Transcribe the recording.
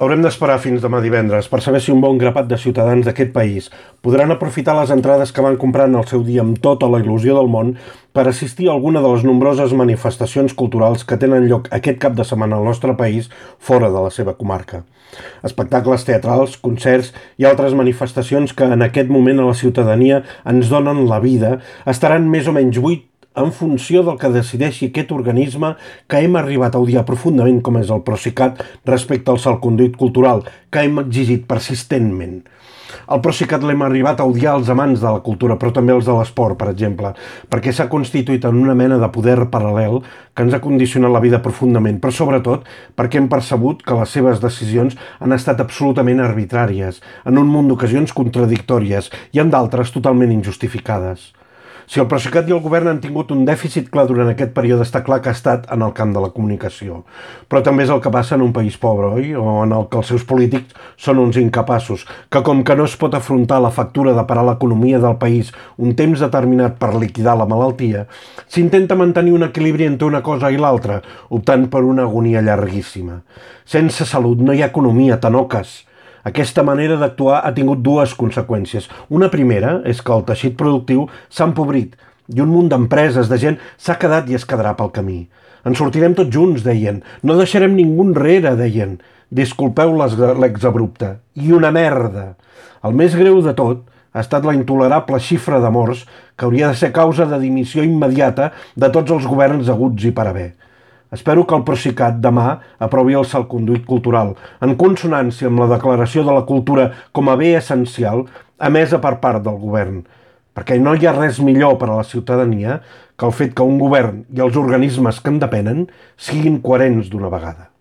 Haurem d'esperar fins demà divendres per saber si un bon grapat de ciutadans d'aquest país podran aprofitar les entrades que van comprar en el seu dia amb tota la il·lusió del món per assistir a alguna de les nombroses manifestacions culturals que tenen lloc aquest cap de setmana al nostre país fora de la seva comarca. Espectacles teatrals, concerts i altres manifestacions que en aquest moment a la ciutadania ens donen la vida estaran més o menys buit en funció del que decideixi aquest organisme que hem arribat a odiar profundament com és el Procicat respecte al salconduit cultural, que hem exigit persistentment. El Procicat l'hem arribat a odiar els amants de la cultura, però també els de l'esport, per exemple, perquè s'ha constituït en una mena de poder paral·lel que ens ha condicionat la vida profundament, però sobretot perquè hem percebut que les seves decisions han estat absolutament arbitràries, en un munt d'ocasions contradictòries i en d'altres totalment injustificades. Si el Procicat i el govern han tingut un dèficit clar durant aquest període, està clar que ha estat en el camp de la comunicació. Però també és el que passa en un país pobre, oi? O en el que els seus polítics són uns incapaços, que com que no es pot afrontar la factura de parar l'economia del país un temps determinat per liquidar la malaltia, s'intenta mantenir un equilibri entre una cosa i l'altra, optant per una agonia llarguíssima. Sense salut no hi ha economia, tanoques. Aquesta manera d'actuar ha tingut dues conseqüències. Una primera és que el teixit productiu s'ha empobrit i un munt d'empreses, de gent, s'ha quedat i es quedarà pel camí. En sortirem tots junts, deien. No deixarem ningú enrere, deien. Disculpeu l'exabrupte. I una merda. El més greu de tot ha estat la intolerable xifra de morts que hauria de ser causa de dimissió immediata de tots els governs haguts i per haver. Espero que el Procicat demà aprovi el salconduit cultural, en consonància amb la declaració de la cultura com a bé essencial emesa per part del govern, perquè no hi ha res millor per a la ciutadania que el fet que un govern i els organismes que en depenen siguin coherents d'una vegada.